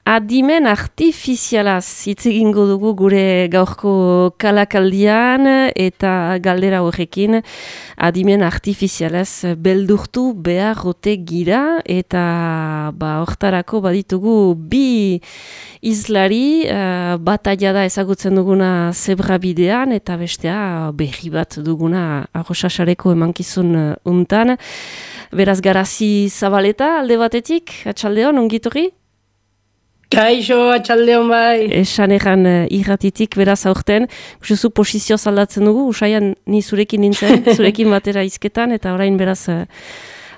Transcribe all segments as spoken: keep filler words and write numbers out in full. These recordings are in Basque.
Adimen artifizialaz hitz egingo dugu gure gaurko kalakaldian eta galdera horrekin adimen artifizialaz beldurtu behar ote gira eta ba, hortarako baditugu bi izlari uh, bataia da ezagutzen duguna zebrabidean eta bestea berri bat duguna Arrosasareko emankizun uh, untan. Beraz Garazi Zabaleta alde batetik, atxaldeon, ongitorri? Kaixo, atxaldeon bai. Esan egan uh, irratitik, beraz aurten, usuzu posizio zaldatzen dugu, usaian ni zurekin nintzen, zurekin batera izketan, eta orain beraz uh,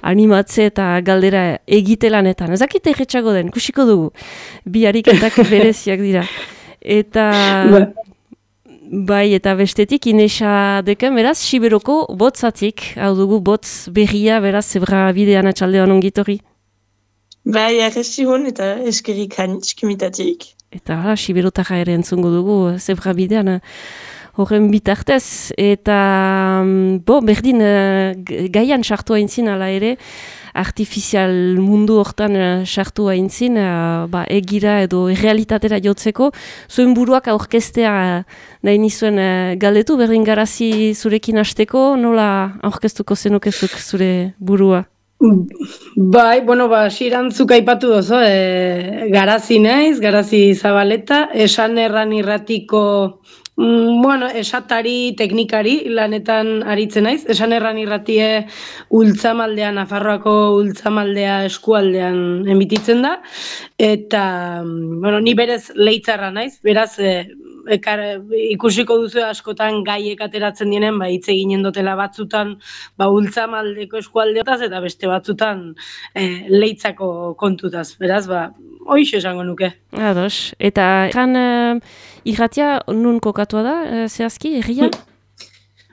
animatze eta galdera egitelanetan. Ez dakit erretxago den, kusiko dugu, bi ariketak bereziak dira. Eta... Bai, eta bestetik, Inesa deken, beraz, Siberoko botzatik, hau dugu botz berria, beraz, zebra bidean atxaldean ongitorri. Bai, arresti hon eta eskerik hanitz kimitatik. Eta hala, Siberotara ere entzungo dugu zebra bidean horren bitartez. Eta, bo, berdin, gaian sartu haintzin ala ere, artifizial mundu hortan sartu haintzin, ba, egira edo realitatera jotzeko, zuen buruak aurkeztea nahi nizuen galdetu, berdin Garazi zurekin hasteko, nola aurkeztuko zenukezuk zure burua? Bai, bueno, ba, sirantzuk aipatu dozo, e, Garazi naiz, Garazi Zabaleta, esan erran irratiko, mm, bueno, esatari, teknikari lanetan aritzen naiz, esan erran irratie Ultzamaldean, Nafarroako Ultzamaldea eskualdean emititzen da, eta, bueno, ni berez leitzarra naiz, beraz, e, Ekar, ikusiko duzu askotan gaiek ateratzen dienen, ba, hitz eginen dutela batzutan ba, Ultzamaldeko eskualdeotaz eta beste batzutan e, leitzako kontutaz. Beraz, ba, hoiz esango nuke. Ados. Eta egan uh, irratia nun kokatua da, uh, zehazki, erria?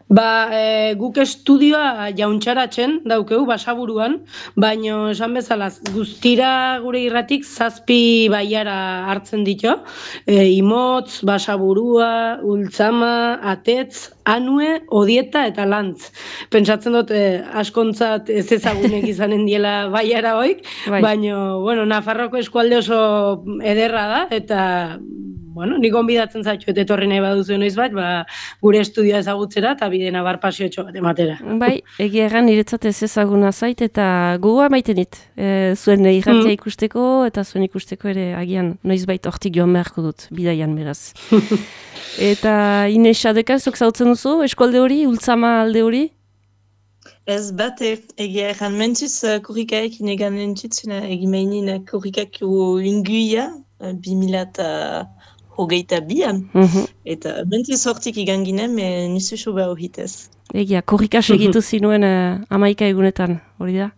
Ba, e, guk estudioa jauntxaratzen daukeu, Basaburuan, baino esan bezala guztira gure irratik zazpi baiara hartzen ditu, e, Imotz, Basaburua, Ultzama, Atetz, Anue, Odieta eta Lantz. Pentsatzen dut e, askontzat ez ezagunek izanen diela baiara hoik, bai. Baino, bueno, Nafarroko eskualde oso ederra da, eta bueno, nik gonbidatzen zaitxo, eta etorri nahi baduzu noiz bat, ba, gure estudioa ezagutzera, eta bide nabar pasiotxo bat ematera. Bai, egia erran niretzat ez ezaguna zait, eta gogoa maiten dit. E, zuen irratia mm. ikusteko, eta zuen ikusteko ere agian noiz bait hortik joan beharko dut, bidaian beraz. Eta Inesa deka, zuk zautzen duzu, eskualde hori, Ultzama alde hori? Ez bate, egia erran mentuz, korrikaekin egan entzutzen, egimeinin korrikako inguia, bi mila eta hogeita bian, mm-hmm. eta mentuz hortik igan ginen, me nizu soba horritez. Egia, korrika segitu zinuen uh, amaika egunetan, hori da?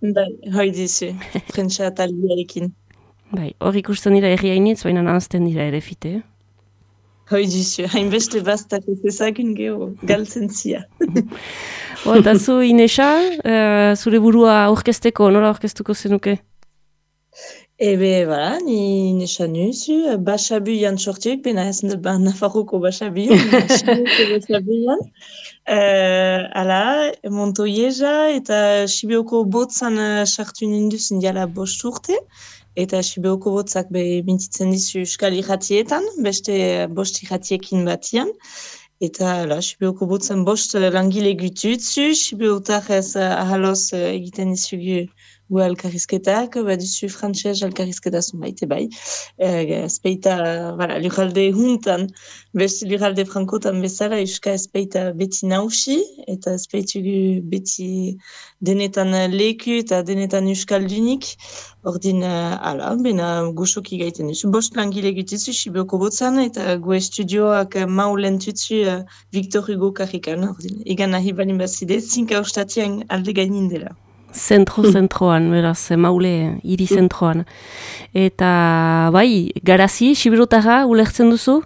Bai, hori dizu, prentsa talbiarekin. Bai, hor ikusten dira erriainitz, baina nanzten dira ere fite. Hoi dizu, hainbeste bastak ez ezakun geho, galtzen zia. O, eta zu, Inesa, uh, zure burua aurkezteko, nola aurkeztuko zenuke? Ebe, bera, ni nesan nuzu, Basabu jan sortiek, bena ez ba, Nafarroko Basabu, Basabu jan. Uh, ala, Montoieza eta Sibioko botzan sartu uh, ninduzin diala bost urte. Eta Sibioko botzak be mintitzen dizu euskal irratietan, beste bost irratiekin batian. Eta ala, Sibioko botzan bost langile gututzu, Sibiotar ez uh, ahaloz uh, egiten dizugu gu alkarrizketak, baduzu frantxez alkarrizketa zunbaite bai. E, espeita, voilà, lurralde huntan, beste lurralde frankotan bezala, euska espeita beti nausi, eta espeitugu beti denetan leku eta denetan euskaldunik. Ordin, uh, ala, bena goxoki gaiten duzu. Bost langile gutitzu, Sibioko botzan, eta gu estudioak maulen tutzu uh, Victor Hugo karrikan. Ordin, egan nahi balin bazide, zinka ostatian alde gainin dela. Zentro-zentroan, beraz, maule, hiri zentroan. Eta, bai, Garazi, Siberotara, ulertzen duzu?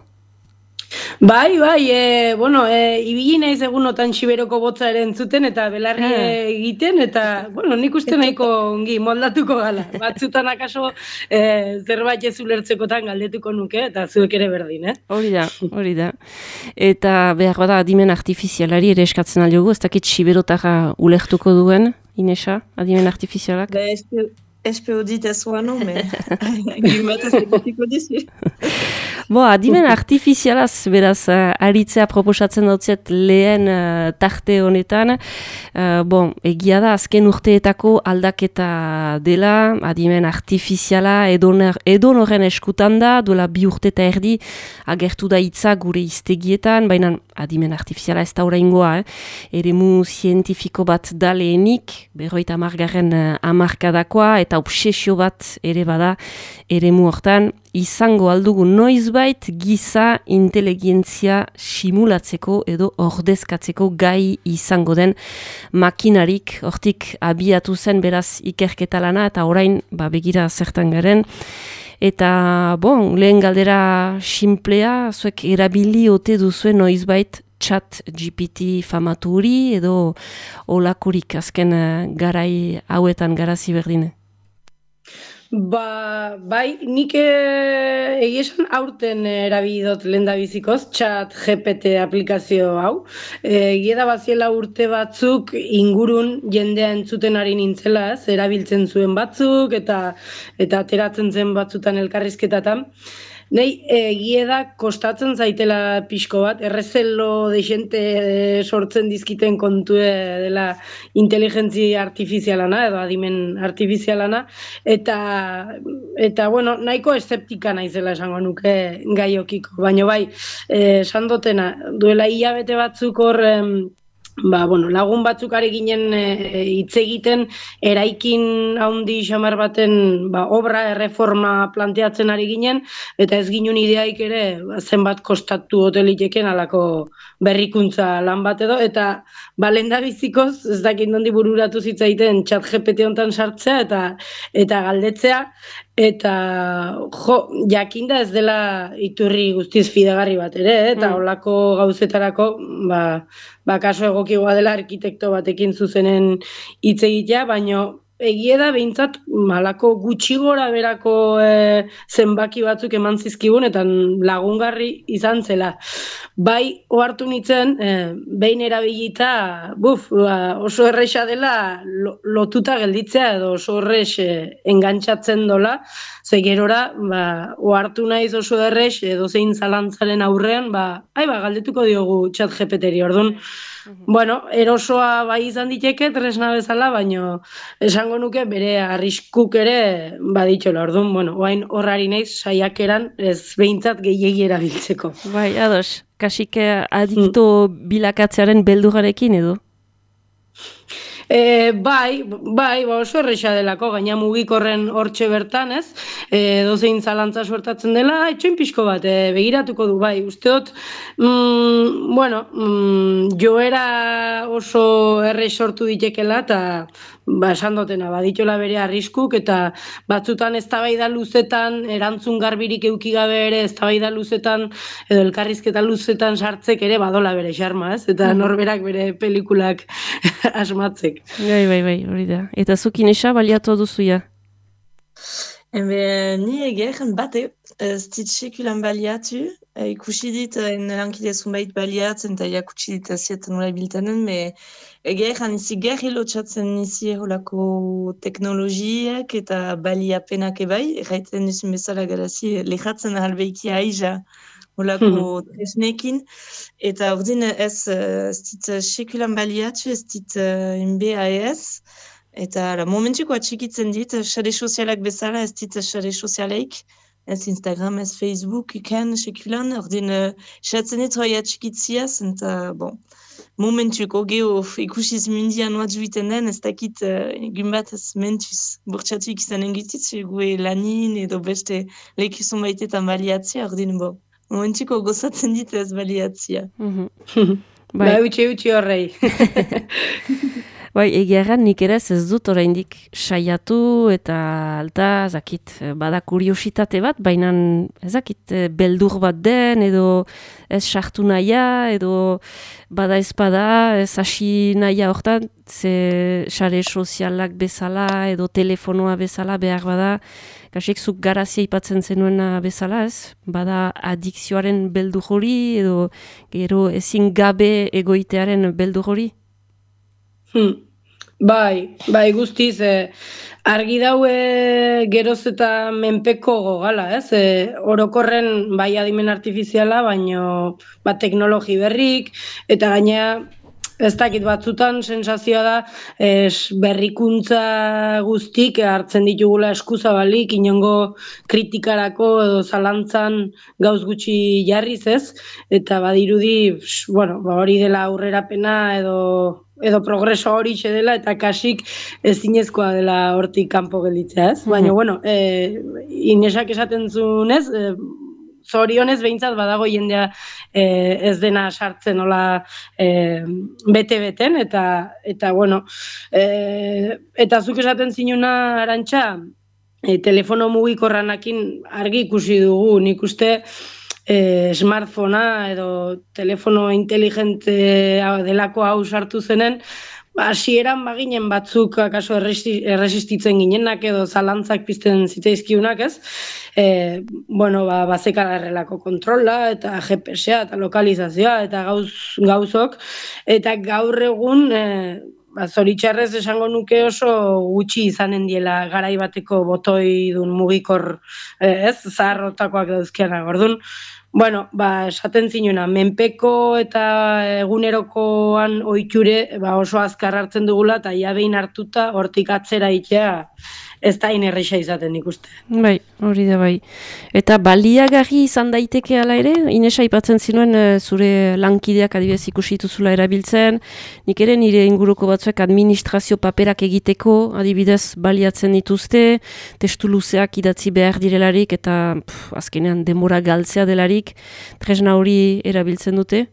Bai, bai, e, bueno, e, ibili naiz egunotan Siberoko botza ere entzuten eta belarri ah. egiten, eta, bueno, nik uste nahiko ongi moldatuko gala. Batzutan akaso e, zerbait ez ulertzekotan galdetuko nuke, eta zuek ere berdin, eh? Hori da, hori da. Eta behar bada adimen artifizialari ere eskatzen aldiogu, ez dakit Siberotara ulertuko duen, Inesa, adimen artifizialak? Ba, espero dit ez uano, me gimat ez egitiko dizu. Bo, adimen artifizialaz, beraz, uh, aritzea proposatzen dautzet lehen uh, tarte honetan. Uh, bon, egia da, azken urteetako aldaketa dela, adimen artifiziala edon horren eskutan da, duela bi urte eta erdi agertu da hitza gure iztegietan, baina adimen artifiziala ez da oraingoa, eh? Eremu zientifiko bat da lehenik, berroita amargarren uh, amarkadakoa, eta obsesio bat ere bada eremu hortan, izango aldugu noizbait giza inteligentzia simulatzeko edo ordezkatzeko gai izango den makinarik, hortik abiatu zen beraz ikerketa lana eta orain ba, begira zertan garen. Eta bon, lehen galdera simplea, zuek erabili ote duzuen noizbait chat G P T famatu hori edo olakorik azken uh, garai hauetan garazi berdine? Ba, bai, nik egia esan aurten erabili dut lehendabizikoz, chat G P T aplikazio hau. Egia da baziela urte batzuk ingurun jendea entzuten ari nintzela, ez, erabiltzen zuen batzuk eta eta ateratzen zen batzutan elkarrizketatan. Nei, egia da kostatzen zaitela pixko bat, errezelo de xente sortzen dizkiten kontue dela inteligentzia artifizialana edo adimen artifizialana, eta, eta bueno, nahiko eszeptika naizela esango nuke gaiokiko, baina bai, esan dotena, duela hilabete batzuk hor, ba, bueno, lagun batzuk ari ginen hitz e, egiten eraikin handi xamar baten ba, obra erreforma planteatzen ari ginen, eta ez ginen ideaik ere ba, zenbat kostatu hoteliteken alako berrikuntza lan bat edo, eta ba, lehendabizikoz ez dakit nondi bururatu zitzaiten chat G P T hontan sartzea eta eta galdetzea, eta jo, jakinda ez dela iturri guztiz fidagarri bat ere, eh? Eta holako gauzetarako, ba, ba kaso egokigoa dela arkitekto batekin zuzenen hitz egitea, baino egie da behintzat malako gutxi gora berako e, zenbaki batzuk eman zizkigun eta lagungarri izan zela. Bai, ohartu nitzen, e, behin erabilita, buf, ba, oso erresa dela lo, lotuta gelditzea edo oso erres e, engantzatzen dola, ze gerora, ba, ohartu naiz oso erres edo zein zalantzaren aurrean, ba, ai, ba, galdetuko diogu chat G P T-ri, orduan, bueno, erosoa bai izan diteke, tresna bezala, baino esango nuke bere arriskuk ere baditxola, orduan, bueno, oain horrari naiz saiakeran ez behintzat gehiegi erabiltzeko. Bai, ados, kasik adikto mm. bilakatzearen beldurrarekin edo? E, bai, bai, ba oso erresa delako, gaina mugikorren hortxe bertan, ez? E, dozein zalantza suertatzen dela, etxoin pixko bat, e, begiratuko du, bai, uste dut, mm, bueno, mm, joera oso errez sortu ditekela, eta ba, esan dotena, baditxola bere arriskuk, eta batzutan eztabaida luzetan, erantzun garbirik euki gabe ere, eztabaida luzetan, edo elkarrizketa luzetan sartzek ere badola bere xarma, ez? Eta norberak bere pelikulak asmatzek. Bai, bai, bai, hori da. Eta zukin esa baliatu duzu ja? Ebe, ni egeren bate, ez dit sekulan baliatu, e, ikusi dit, en lankide zunbait baliatzen, eta jakutsi dit azietan nola biltanen, me egeren izi gerri lotxatzen izi holako teknologiak eta baliapenak ebai, erraiten duzun bezala garazi, lehatzen ahalbeiki aiza holako tresnekin, eta ordin ez, ez dit sekulan baliatu, ez dit M B A S, eta la, momentuko atxikitzen dit, sare sozialak bezala, ez dit sare sozialeik, ez Instagram, ez Facebook, ikan, sekulan, ordin xatzen dit hoi atxikitziaz, eta, bon, momentuko geho ikusiz mundian oat juiten den, ez dakit egun bat ez mentuz burtsatuik izan engutitz, gue lanin edo beste lekizun baitetan baliatzia, ordin, bon, momentuko gozatzen dit ez baliatzia. Mm-hmm. Bai, utxe, utxe horrei. Bai, egiaran nik ere ez dut oraindik saiatu eta alta, zakit, bada kuriositate bat, baina ezakit, beldur bat den, edo ez sartu nahia, edo bada ez bada, ez hasi nahia hortan, ze sare sozialak bezala, edo telefonoa bezala behar bada, kasik zuk garazia ipatzen zenuena bezala, ez? Bada adikzioaren beldur hori, edo gero ezin gabe egoitearen beldur hori? Hmm. Bai, bai guztiz, e, argi daue geroz eta menpeko gogala, ez? E, orokorren bai adimen artifiziala, baino ba, teknologi berrik, eta gainea ez dakit batzutan sensazioa da es, berrikuntza guztik hartzen ditugula eskuzabalik, inongo kritikarako edo zalantzan gauz gutxi jarriz ez, eta badirudi, bueno, ba, hori dela aurrerapena edo edo progreso hori dela eta kasik ezinezkoa dela hortik kanpo gelditzea, ez? Baina, bueno, e, Inesak esaten zunez, e, zorionez behintzat badago jendea e, ez dena sartzen nola e, bete-beten, eta, eta bueno, e, eta zuk esaten zinuna Arantxa, e, telefono mugikorranakin argi ikusi dugu, nik uste e, smartphonea edo telefono inteligente delako hau sartu zenen, hasieran baginen batzuk akaso erresistitzen ginenak edo zalantzak pizten zitzaizkiunak, ez? E, bueno, ba, bazekala errelako kontrola eta G P S-a eta lokalizazioa eta gauz, gauzok, eta gaur egun e, ba, zoritxarrez esango nuke oso gutxi izanen diela garai bateko botoi dun mugikor, ez, zaharrotakoak dauzkianak, orduan. Bueno, ba, esaten zinuna, menpeko eta egunerokoan ohiture ba, oso azkar hartzen dugula, eta ja behin hartuta hortik atzera itea ez da inerreixa izaten ikuste. Bai, hori da bai. Eta baliagarri izan daiteke ala ere, Inesa aipatzen zinuen zure lankideak adibidez ikusi dituzula erabiltzen, nik ere nire inguruko batzuek administrazio paperak egiteko adibidez baliatzen dituzte, testu luzeak idatzi behar direlarik eta pff, azkenean denbora galtzea delarik, tresna hori erabiltzen dute?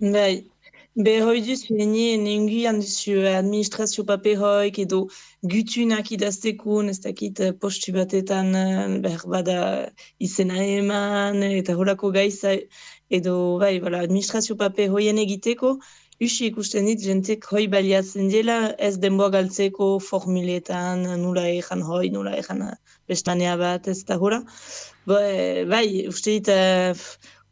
Bai. Be hoi duzu, nien enguian duzu administrazio paperoik edo gutunak idaztekun, ez dakit postu batetan behar bada izena eman eta horako gaiza edo bai, bala, administrazio paperoien egiteko, usi ikusten dit jentek hoi baliatzen dela ez denboa galtzeko formuletan, nula egan hoi, nula egan bestanea bat, ez da hora. Bai, bai uste dit uh,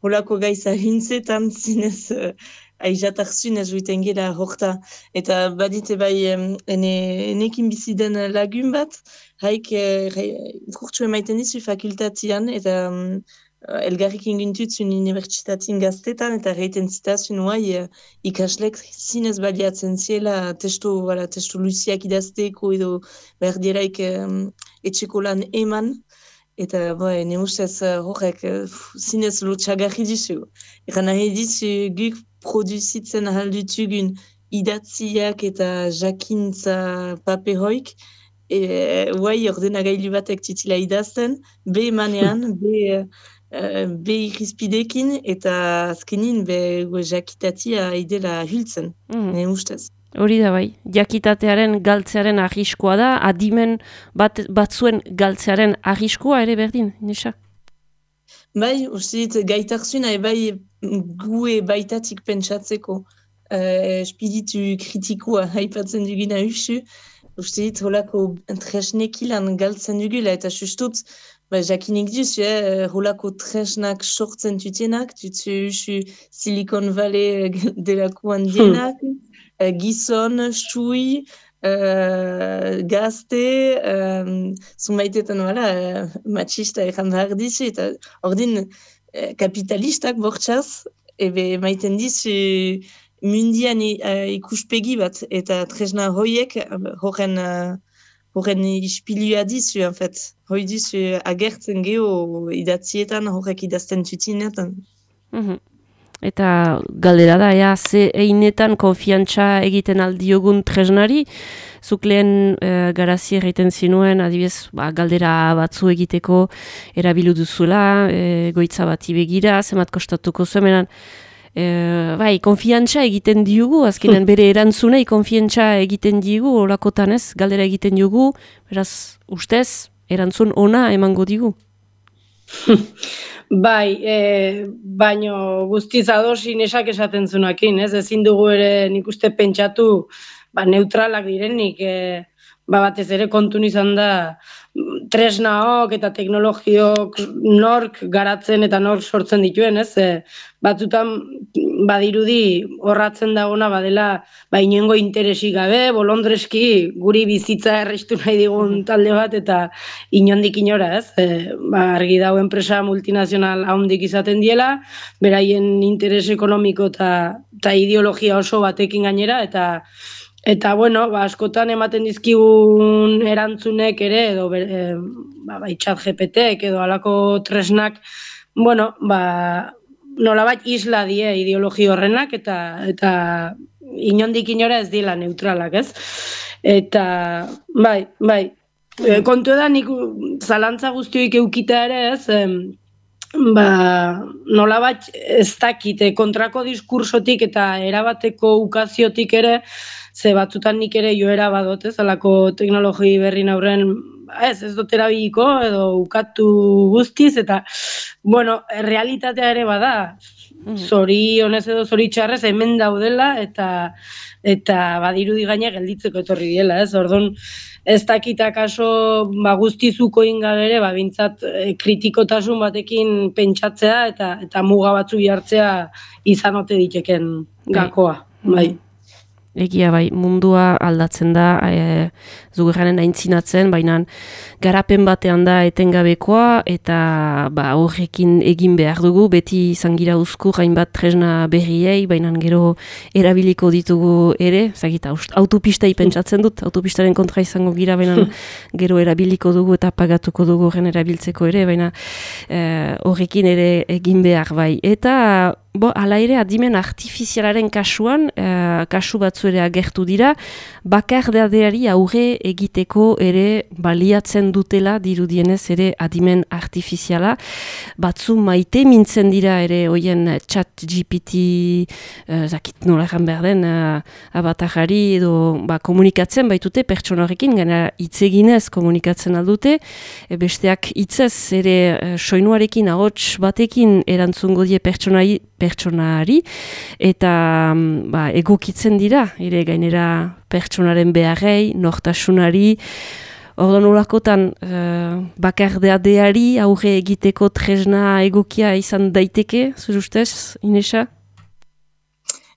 horako gaiza hintzetan zinez uh, aizatartzun ez duiten gela horta. Eta badite bai ene, enekin biziden lagun bat, haik kurtsu emaiten dizu fakultatian, eta um, elgarrik ingintutzun unibertsitatin gaztetan, eta reiten zitazun huai ikaslek zinez baliatzen ziela testu, wala, testu luziak idazteko edo behar dieraik um, etxeko lan eman. Eta bai, ne ustez horrek zinez lotxagarri dizu. Egan nahi dizu guk produzitzen ahaldutugun idatziak eta jakintza paperoik, e, guai ordenagailu batek titila idazten, be emanean, be, uh, be irizpidekin, eta azkenin be jakitatia idela hiltzen, mm. ne ustez. Hori da bai, jakitatearen galtzearen arriskoa da, adimen bat, batzuen galtzearen arriskoa ere berdin, Inesa? Bai, uste dit, gaitarzuna bai gue baitatik pentsatzeko uh, espiritu kritikoa haipatzen duguna usu, uste dit, holako tresnekilan galtzen dugula, eta sustut, ba, jakinik duzu, eh, holako tresnak sortzen tutenak, tutu usu Silicon Valley delakoan dienak, hmm. Gizon, xui, uh, gazte, um, zunbaitetan wala, uh, machista egan behar dizu, eta ordin uh, kapitalistak bortxaz, ebe maiten dizu mundian uh, ikuspegi bat, eta tresna hoiek horren uh, horren ispilua dizu, en fait. Hoi dizu agertzen geho idatzietan, horrek idazten tutinetan. Mm-hmm. Eta galdera da, ea, ze einetan konfiantza egiten aldiogun tresnari, zuk lehen e, garazi egiten zinuen, adibidez, ba, galdera batzu egiteko erabilu duzula, e, goitza bati begira, zemat kostatuko zuemenan, e, bai, konfiantza egiten diogu, azkenean bere erantzunei konfiantza egiten diogu, olakotan ez, galdera egiten diogu, beraz, ustez, erantzun ona emango digu. Bai, e, baino guztiz ados Inesak esaten zunakin, ez? Ezin dugu ere nik uste pentsatu ba, neutralak direnik, e, ba, batez ere kontun izan da tresnaok eta teknologiok nork garatzen eta nork sortzen dituen, ez? E, batzutan badirudi horratzen dagona badela ba inongo interesik gabe, bolondreski guri bizitza errestu nahi digun talde bat eta inondik inora, ez? E, ba, argi dago enpresa multinazional handik izaten diela, beraien interes ekonomiko eta, eta ideologia oso batekin gainera, eta Eta, bueno, ba, askotan ematen dizkigun erantzunek ere, edo e, ba, bai chat G P T-ek edo alako tresnak, bueno, ba, nolabait isla die ideologi horrenak, eta eta inondik inora ez dila neutralak, ez? Eta, bai, bai, e, kontu da nik zalantza guztioik eukita ere, ez? E, ba, nolabait ez dakite kontrako diskursotik eta erabateko ukaziotik ere, ze batzutan nik ere joera badot, ez, alako teknologi berrin aurren, ez, ez dut erabiliko, edo ukatu guztiz, eta, bueno, realitatea ere bada, zori honez edo zori txarrez, hemen daudela, eta eta badirudi gaina gelditzeko etorri diela, ez, orduan, ez dakita kaso, ba, guztizuko ingabere, ba, bintzat, e, kritikotasun batekin pentsatzea, eta eta muga batzu jartzea izan ote diteken gakoa, bai. Egia bai, mundua aldatzen da, e, zugerranen aintzinatzen, baina garapen batean da etengabekoa, eta ba, horrekin egin behar dugu, beti izan gira uzkur hainbat tresna berriei, baina gero erabiliko ditugu ere, zagita, autopistei pentsatzen dut, autopistaren kontra izango gira, baina gero erabiliko dugu eta pagatuko dugu horren erabiltzeko ere, baina e, horrekin ere egin behar bai. Eta Bo, ala ere, adimen artifizialaren kasuan, eh, kasu batzu ere agertu dira, bakardadeari aurre egiteko ere baliatzen dutela, dirudienez ere adimen artifiziala. Batzu maite mintzen dira ere hoien chat G P T, eh, zakit nola egan behar den, eh, abatajari edo ba, komunikatzen baitute pertsona horrekin, gana hitzeginez komunikatzen aldute, e, besteak hitzez ere eh, soinuarekin, ahots batekin erantzungo die pertsonai, pertsonari, eta ba, egokitzen dira, ere gainera pertsonaren beharrei, nortasunari, ordan olakotan uh, bakardadeari aurre egiteko tresna egokia izan daiteke, zure ustez, Inesa?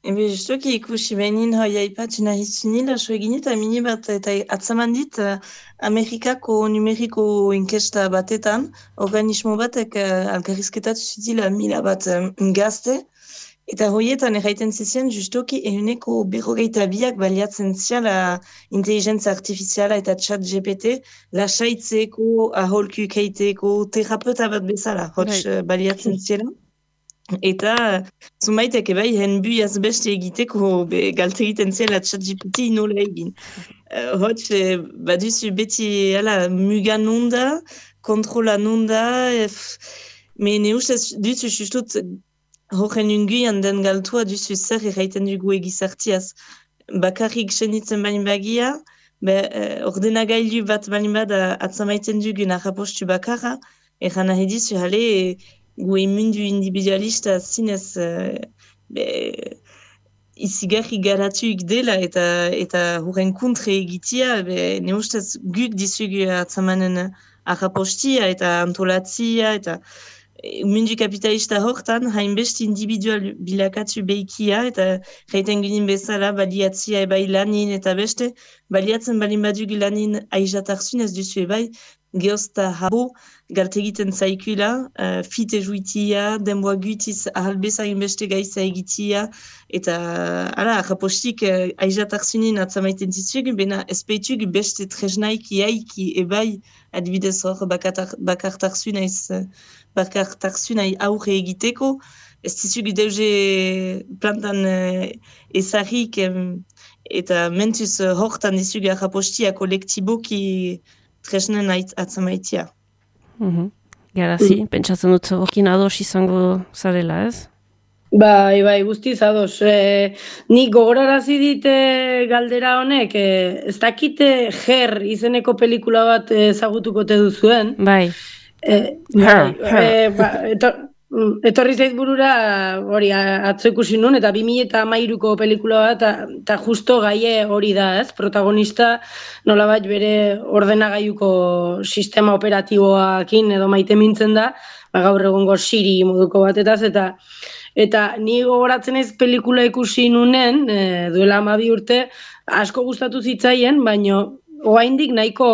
Ebe, justuki ikusi behin hoi aipatu nahi zunila, so egin eta mini bat, eta atzaman dit, uh, Amerikako numeriko inkesta batetan, organismo batek uh, alkarrizketatu zutila mila bat um, gazte, eta hoietan erraiten zizien justuki ehuneko berrogeita biak baliatzen ziala inteligentzia artifiziala eta chat G P T, lasaitzeko, aholku keiteko, terapeuta bat bezala, hots uh, baliatzen ziela. Eta zumaitek ebai hen buiaz beste egiteko be, galte egiten zela chat G P T nola egin. Uh, Hots e, baduzu beti ala, muga nunda, kontrola nunda, me ne ustez duzu justut horren unguian den galtua duzu zer erraiten dugu egizartiaz. Bakarrik senitzen bain bagia, be, uh, ordenagailu bat bain bada atzamaiten dugun arrapostu bakarra, erran nahi dizu hale, gu emundu individualista zinez uh, be, izigarri garatuik dela eta eta horren kontre egitia, be, ne ustez guk dizugu atzamanen arrapostia eta antolatzia eta mundu kapitalista hortan hainbeste individual bilakatu behikia eta reiten ginen bezala baliatzia ebai lanin eta beste baliatzen balin badugu lanin aizatarsun ez duzu ebai geozta habo galte egiten zaikula, uh, fite juitia, denboa gutiz ahalbezain beste gaiza egitia, eta ala, rapostik uh, aizatarsunin atzamaiten zitzugu, bena espeitugu beste tresnaik iaiki ebai adibidez hor bakartarsunaiz bakartarsunai aurre egiteko, ez zitzugu deuze plantan uh, ezarrik um, eta mentuz uh, hortan dizugu rapostia kolektiboki tresnen atzamaitia. Mm-hmm. Garazi, mm. Pentsatzen dut horkin ados izango zarela, ez? Bai, bai, guztiz ados. E, nik gogorarazi dite galdera honek, e, ez dakite Her izeneko pelikula bat ezagutuko te duzuen. Bai. E, bai, e, ba, eto, Etorri zait burura, hori, atzo ikusi nun, eta bi mila hamairuko pelikula bat, eta justo gaie hori da, ez? Protagonista nolabait bere ordenagailuko sistema operatiboakin edo maite mintzen da, ba, gaur egungo Siri moduko batetaz, eta eta ni gogoratzen ez pelikula ikusi nunen, e, duela hamabi urte, asko gustatu zitzaien, baino oraindik nahiko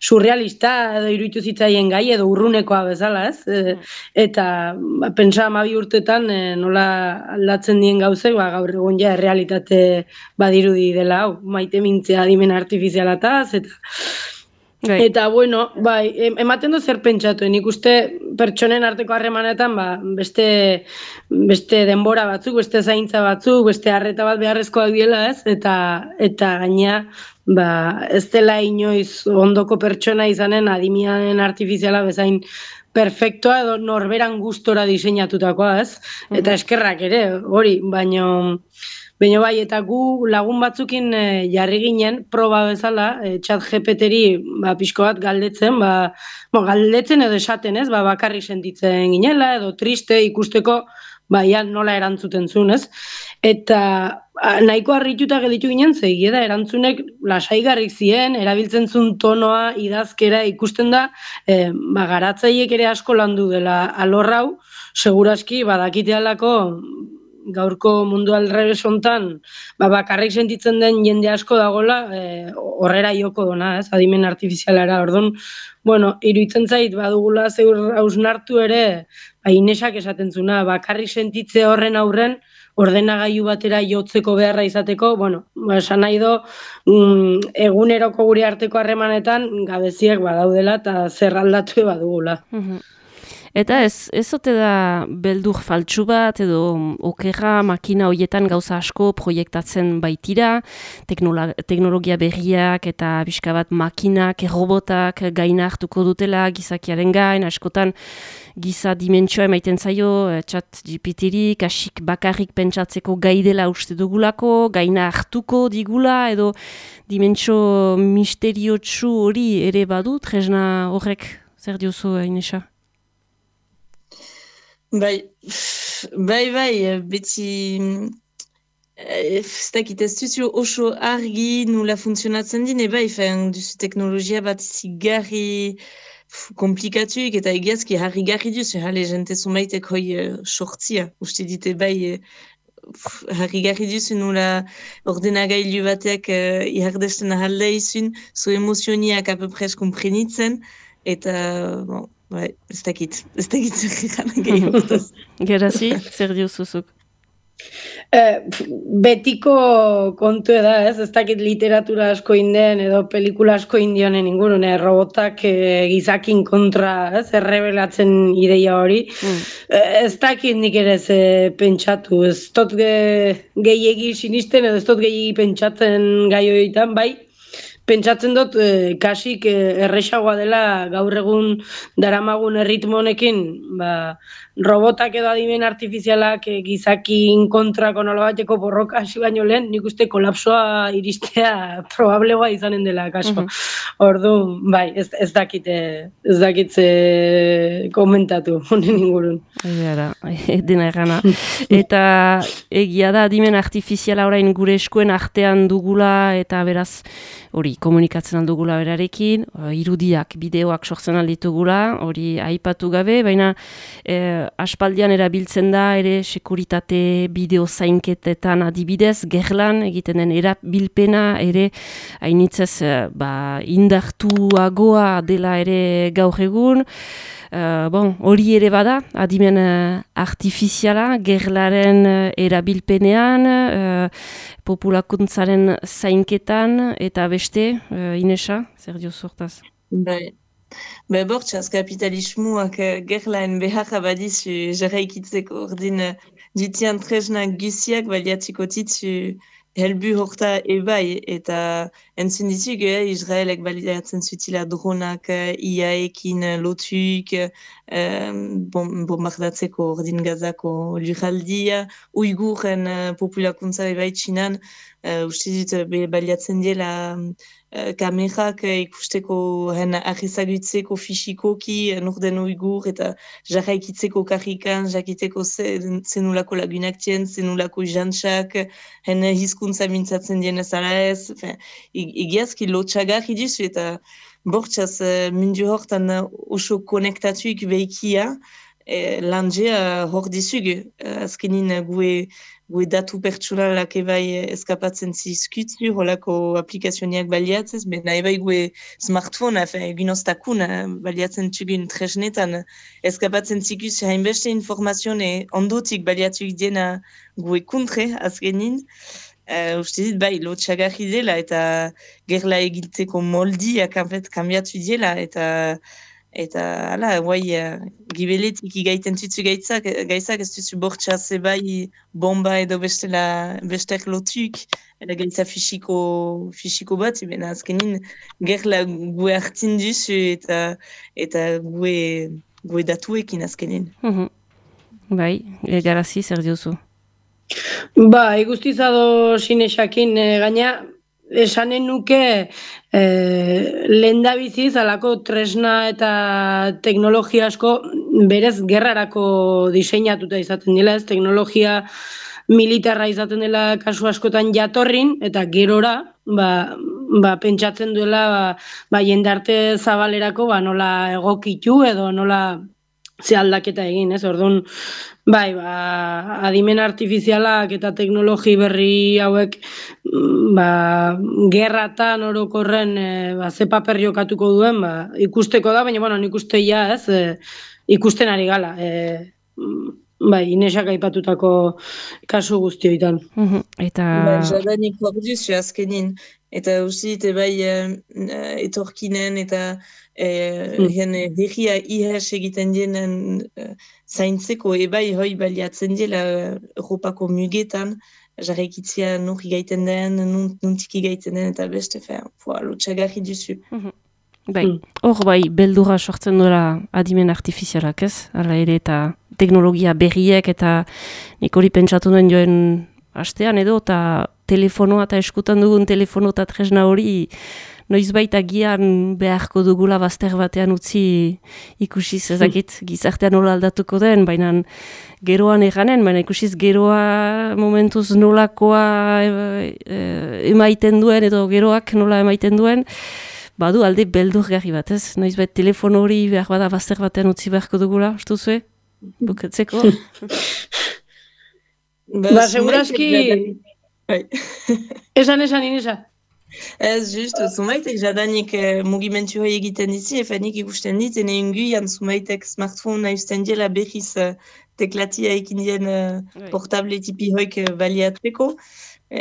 surrealista edo iruditu zitzaien gai edo urrunekoa bezala, ez? E, eta ba, pentsa hamabi urtetan e, nola aldatzen dien gauzek, ba, gaur egun ja errealitate badirudi dela, hau, maite mintzea adimen artifizialataz, eta Gai. Eta, bueno, bai, ematen du zer pentsatu, nik uste pertsonen arteko harremanetan, ba, beste, beste denbora batzuk, beste zaintza batzuk, beste harreta bat beharrezkoak diela, ez? Eta, eta gaina, ba, ez dela inoiz ondoko pertsona izanen adimianen artifiziala bezain perfektoa edo norberan gustora diseinatutakoa, ez? Eta eskerrak ere, hori, baino... Baina bai, eta gu lagun batzukin e, jarri ginen, proba bezala, e, chat G P T-ri ba, pixko bat galdetzen, ba, bo, galdetzen edo esaten ez, ba, bakarrik sentitzen ginela, edo triste ikusteko, ba, ja, nola erantzuten zuen, ez? Eta a, nahiko harrituta gelditu ginen, zehi, da, erantzunek lasaigarrik zien, erabiltzen zuen tonoa, idazkera, ikusten da, e, ba, garatzaiek ere asko landu dela alorrau, seguraski, badakitealako, gaurko mundu alrebes hontan, ba, bakarrik sentitzen den jende asko dagola, e, horrera joko dona, ez, adimen artifizialara, orduan, bueno, iruditzen zait, badugula zeur hausnartu ere, ba, Inesak esaten zuna, bakarrik sentitze horren aurren, ordenagailu batera jotzeko beharra izateko, bueno, ba, esan nahi do, mm, eguneroko gure arteko harremanetan, gabeziak badaudela, eta zer aldatu badugula. Eta ez, ez ote da beldur faltsu bat edo okerra makina horietan gauza asko proiektatzen baitira, teknolo- teknologia berriak eta pixka bat makinak, robotak gaina hartuko dutela gizakiaren gain, askotan giza dimentsua emaiten zaio, chat G P T-ri, kasik bakarrik pentsatzeko gai dela uste dugulako, gaina hartuko digula edo dimentsio misteriotsu hori ere badu, tresna horrek zer diozu, Inesa? Bai, bai, bai, beti, ez dakit ez duzu oso argi nula funtzionatzen dine, bai, fean duzu teknologia bat zigarri komplikatuik eta egiazki harri-garri duzu, hale, jente zumaitek hoi uh, sortzia, uste dite bai, uh, harri-garri duzu nula ordenagailu batek uh, ihardesten ahalda izun, zo emozioniak apepres komprenitzen, eta, bon, bai, ez dakit, ez dakit zer gana gehiago. Gerazi, zer diozuzuk? Eh, betiko kontu da, ez? Ez dakit literatura asko inden edo pelikula asko indionen ingurune, robotak eh, gizakin kontra, ez? Errebelatzen ideia hori. Mm. Eh, ez dakit nik ere ez eh, pentsatu, ez dut ge, gehiegi sinisten edo ez dut gehiegi pentsatzen gai horietan, bai? Pentsatzen dut, eh, kasik eh, erresagoa dela gaur egun daramagun erritmo honekin, ba, robotak edo adimen artifizialak eh, gizakin kontrako nolabateko borroka hasi baino lehen, nik uste kolapsoa iristea probablegoa izanen dela, kaso. Mm -hmm. Ordu, bai, ez, ez dakit, ez dakit eh, komentatu honen ingurun. Gara, dena errana. Eta egia da adimen artifiziala orain gure eskuen artean dugula eta beraz hori komunikatzen aldugula berarekin, irudiak, bideoak sortzen alditugula, hori aipatu gabe, baina eh, aspaldian erabiltzen da ere sekuritate bideo zainketetan adibidez, gerlan egiten den erabilpena ere hainitzez eh, ba, indartuagoa dela ere gaur egun. Uh, bon, hori ere bada, adimen uh, artifiziala, gerlaren uh, erabilpenean, uh, populakuntzaren zainketan, eta beste, uh, Inesa, zer dio sortaz? Bai, be bortxaz kapitalismuak uh, gerlaen beharra badizu jarraikitzeko ordin uh, dutian tresnak guziak baliatziko titzu helbu horta ebai, eta entzun dizuk, eh, Israelek baliatzen zutila dronak I A-ekin lotuik, eh, bombardatzeko ordin gazako lurraldia, uiguren uh, populakuntza ebai txinan, uh, uste dut uh, baliatzen diela uh, kamerak uh, ikusteko hen arrezagutzeko fisikoki uh, norden uigur eta jarraikitzeko karrikan, jakiteko zenulako lagunak tien, zenulako jantxak, hen hizkuntza mintzatzen dienez ala ez, egiazki lotxagarri dizu eta bortxaz uh, mundu hortan uh, oso konektatuik behikia, E, landea hor dizug, azkenin gue, gue datu pertsunalak ebai eskapatzen zizkutzu, holako aplikazioniak baliatzez, bena ebai gue smartphone, egin ostakun baliatzen txugun tresnetan, eskapatzen zikuz hainbeste informazione ondotik baliatzuk diena gue kontre, azkenin, uh, uste dit bai, lotxagarri dela, eta gerla egiltzeko moldiak kambiatu dela, eta Eta, hala, guai, uh, gibeletik igaiten tutsu gaitzak, gaitzak ez duzu bortxaz ebai bomba edo bestela, bestek lotuk, eta gaitza fisiko, fisiko bat, ebena azkenin, gerla gue hartin duzu eta, eta gue, gue datuekin azkenin. Mm-hmm. Bai, garazi zer diozu? Ba, iguztizado sinesakin, e, gaina, esanen nuke eh, lehendabiziz alako tresna eta teknologia asko berez gerrarako diseinatuta izaten dela, ez teknologia militarra izaten dela kasu askotan jatorrin, eta gerora ba, ba, pentsatzen duela ba, ba, jendarte zabalerako ba, nola egokitu edo nola ze aldaketa egin, ez? Orduan, bai, ba, adimen artifizialak eta teknologi berri hauek ba, gerratan orokorren e, ba, ze paper jokatuko duen, ba, ikusteko da, baina bueno, nik uste ja, ez, e, ikusten ari gala. E, bai, Inesak aipatutako kasu guztioitan. Mm-hmm. Eta... Ba, jadanik hor duzu azkenin, eta usit, bai, uh, etorkinen eta Hien mm. herria ihes egiten dienen uh, zaintzeko ebai hoi baliatzen dela Europako mugetan, jarraikitzia nurri gaiten den, nuntiki gaiten den eta beste, lotxagarri duzu. Mm-hmm. Bai, hor mm. bai, beldura sortzen duela adimen artifizialak ez, ala ere eta teknologia berriek eta nik hori pentsatu duen joen hastean edo, eta telefonoa eta eskutan dugun telefono eta tresna hori noizbait agian beharko dugula bazter batean utzi ikusiz ezakit gizartean nola aldatuko den, baina geroan eganen, baina ikusiz geroa momentuz nolakoa e, e, emaiten duen edo geroak nola emaiten duen, badu alde beldurgarri bat, ez? Noizbait telefono hori behar bada bazter batean utzi beharko dugula, ustu zue? Bukatzeko? Ba, seguraski... Esan, esan, Inesa. Ez, just, zumaitek jadanik eh, mugimentu hoi egiten dizi, efanik ikusten dit, ene inguian zumaitek smartphone naizten diela behiz uh, teklatia ekin dien uh, portable tipi hoik uh, baliatzeko.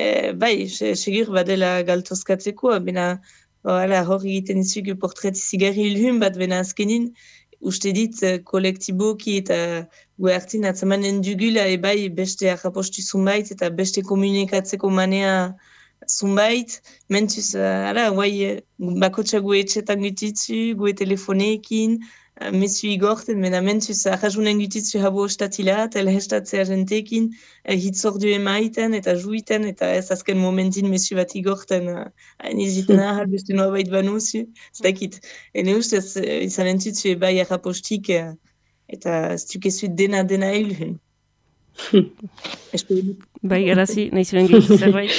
Eh, bai, segur badela galtozkatzeko, bena hor egiten dizugu portret zigarri ilhun bat, bena azkenin, uste dit uh, kolektiboki eta gue hartin atzamanen dugula, ebai beste arrapostu zumait eta beste komunikatzeko manea zunbait, mentuz, ara, guai, bakotxa gue etxetan gutitzu, gue telefoneekin, uh, mesu igorten, mena mentuz, arrazunen gutitzu habo ostatila, eta elhestatzea jenteekin, uh, hitzordu emaiten, eta juiten, eta ez azken momentin mesu bat igorten, uh, hain iziten ahal, beste noa bait banuzu, ez dakit. Ene ustez, uh, izan entutzu ebai arrapostik, uh, eta ez dukezu dena dena elhun. Bai, garazi, nahi zuen gitu zerbait.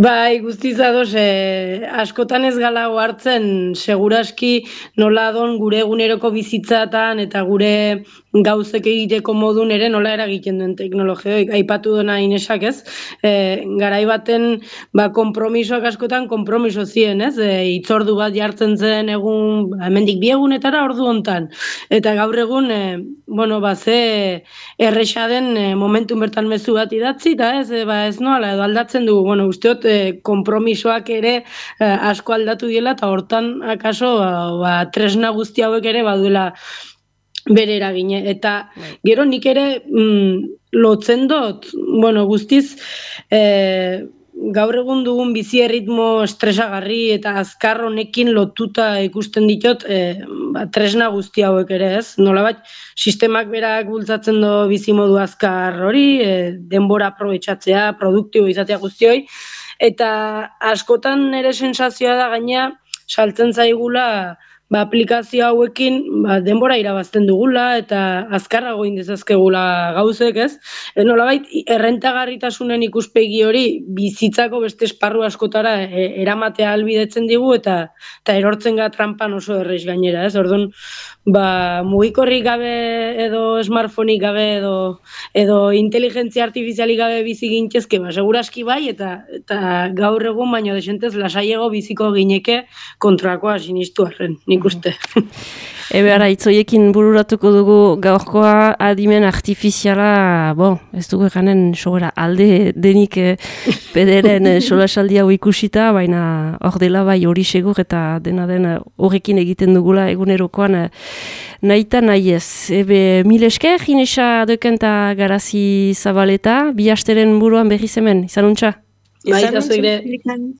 Bai, guztiz ados, eh, askotan ez gala hartzen seguraski nola don gure eguneroko bizitzatan eta gure gauzek egiteko modun ere nola eragiten duen teknologioik. Aipatu dena Inesak, ez? E, garai baten ba, konpromisoak askotan konpromiso ziren, ez? E, itzordu bat jartzen zen egun, hemendik bi egunetara ordu hontan. Eta gaur egun, e, bueno, ba, ze erresa den e, momentun bertan mezu bat idatzi, eta ez, e, ba, ez noala, edo aldatzen dugu, bueno, usteot, e, konpromisoak ere e, asko aldatu diela, eta hortan, akaso, ba, ba, tresna guzti hauek ere baduela bere eragine, eta gero nik ere mm, lotzen dut, bueno, guztiz, e, gaur egun dugun bizi erritmo estresagarri eta azkar honekin lotuta ikusten ditut e, ba, tresna guzti hauek ere, ez? Nolabait sistemak berak bultzatzen do bizimodu azkar hori, e, denbora aprobetxatzea, produktibo izatea guztioi, eta askotan ere sensazioa da gaina saltzen zaigula ba, aplikazio hauekin ba, denbora irabazten dugula eta azkarrago indezazkegula gauzek, ez? E, nolabait, errentagarritasunen ikuspegi hori bizitzako beste esparru askotara e, eramatea albidetzen digu eta eta erortzen ga trampan oso erreiz gainera, ez? Orduan, ba, mugikorrik gabe edo smartphoneik gabe edo edo inteligentzia artifizialik gabe bizi gintezke, ba, seguraski bai, eta eta gaur egun baino desentez lasaiego biziko gineke kontrakoa sinistu arren, nik uste. Ebe ara, itzoiekin bururatuko dugu gaurkoa adimen artifiziala, bo, ez dugu eganen sobera alde denik eh, pederen eh, solasaldi hau ikusita, baina hor dela bai hori segur eta dena den horrekin egiten dugula egunerokoan eh, nahita nahi ez. Ebe mil esker, Inesa Dekenta Garazi Zabaleta, bi hasteren buruan berriz hemen, izanuntza? Bai, eta zuire.